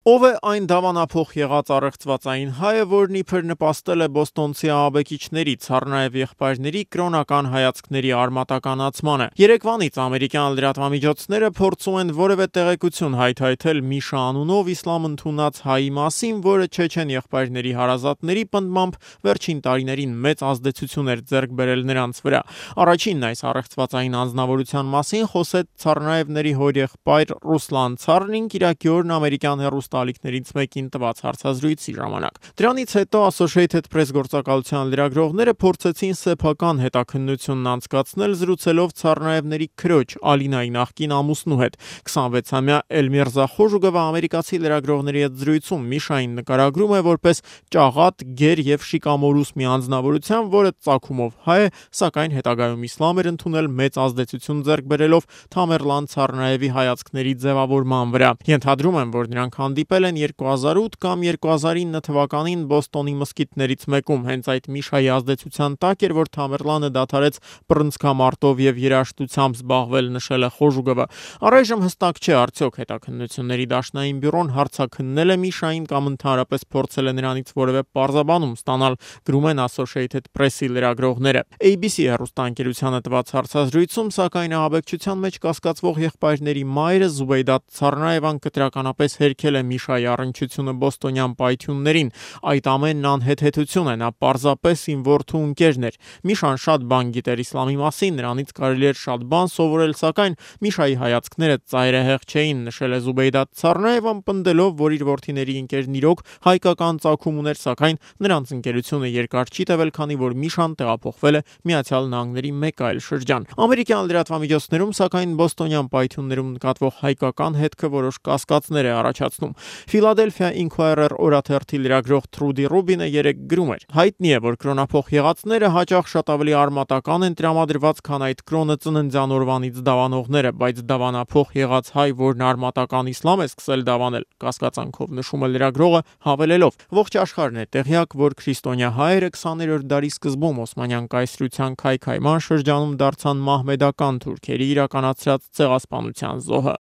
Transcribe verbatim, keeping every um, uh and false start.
Ով է այն դավանափոխ եղած առեղծվածային հայը, որն իբր նպաստել է բոստոնցի ահաբեկիչների, ցառնաև եղբայրների կրոնական հայացքների արմատականացմանը։ Երեկվանից ամերիկյան լրատվամիջոցները փորձում են որևէ տեղեկություն հայթայթել Միշա անունով իսլամ ընդունած հայի մասին, որը չեչեն եղբայրների հարազատների պնդմամբ վերջին տարիներին մեծ ազդեցություն էր ձեռք բերել նրանց վրա։ Առաջինն այս առեղծվածային անձնավորության մասին խոսեց ցառնաևների հորեղբայր Ռուսլան Ցառնին կիրակի օրն ամերիկյան հեռուստաալիքներից մեկին տված հարցազրույցի ժամանակ։ Դրանից հետո Associated Press գործակալության լրագրողները փորձեցին սեփական հետաքննությունն անցկացնել, զրուցելով Ցառնաևների քրոջ Ալինայի նախկին ամուսնու հետ։ քսանվեցամյա Էլմիրզա Խոժուգովը ամերիկացի լրագրողների հետ զրույցում Միշային նկարագրում է որպես ճաղատ, գեր եւ շիկամորուս մի անձնավորության, որը ծագումով հայ է, սակայն հետագայում իսլամ էր ընդունել մեծ ազդեցություն ձեռք բերելով Թամերլան Ցառնաևի հայացքների ձևավորման վրա։ Ենթադրում եմ, որ նրանք հանդիպել են երկու հազար ութ կամ երկու հազար ինը թվականին Բոստոնի մզկիթներից մեկում։ Հենց այդ Միշայի ազդեցության տակ էր, որ Թամերլանը դադարեց բռնցքամարտով եւ երաժշտությամբ զբաղվել, նշել է Խոժուգովը։ Առայժմ հստակ չէ արդյոք հետաքննությունների դաշնային բյուրոն հարցաքննել է Միշային կամ ընդհանրապես փորձել է նրանից որևէ պարզաբանում ստանալ, գրում են Associated Press-ի լրագրողները։ A B C հեռուստաընկերությանը տված հարցազրույցում, սակայն ահաբեկչության մեջ կասկածվող եղբայրների մայրը Զուբեյդա Ցառնաևան կտրականապես հերքել է Միշայի առնչությունը բոստոնյան պայթյուններին։ Այդ ամենն անհեթեթություն է, նա պարզապես իմ որդու ընկերն էր։ Միշան շատ բան գիտեր իսլամի մասին, նրանից կարելի էր շատ բան սովորել, սակայն Միշայի հայացքները ծայրահեղ չէին, նշել է Զուբեյդա Ցառնաևան, պնդելով, որ իր որդիների ընկերն իրոք հայկական ծագում ուներ, սակայն նրանց ընկերությունը երկար չի տևել, քանի որ Միշան տեղափոխվել է Միացյալ Նահանգների մեկ այլ շրջան։ Ամերիկյան լրատվամիջոցներում, սակայն բոստոնյան պայթյուններում նկատվող հայկական հետքը որոշ կասկածներ է առաջացնում։ Philadelphia Inquirer օրաթերթի լրագրող Թրուդի Ռուբինը երեկ գրում էր. հայտնի է, որ կրոնափոխ եղածները հաճախ շատ ավելի արմատական են տրամադրված, քան այդ կրոնը ծննդյան օրվանից դավանողները, բայց դավանափոխ եղած հայ, որն արմատական իսլամ է սկսել դավանել, կասկածանքով նշում է լրագրողը, հավելելով. ողջ աշխարհն է տեղյակ, որ քրիստոնյա հայերը քսաներորդ դարի սկզբում Օսմանյան կայսրության քայքայման շրջանում դարձան մահմեդական թուրքերի իրականացրած ցեղասպանության զոհը։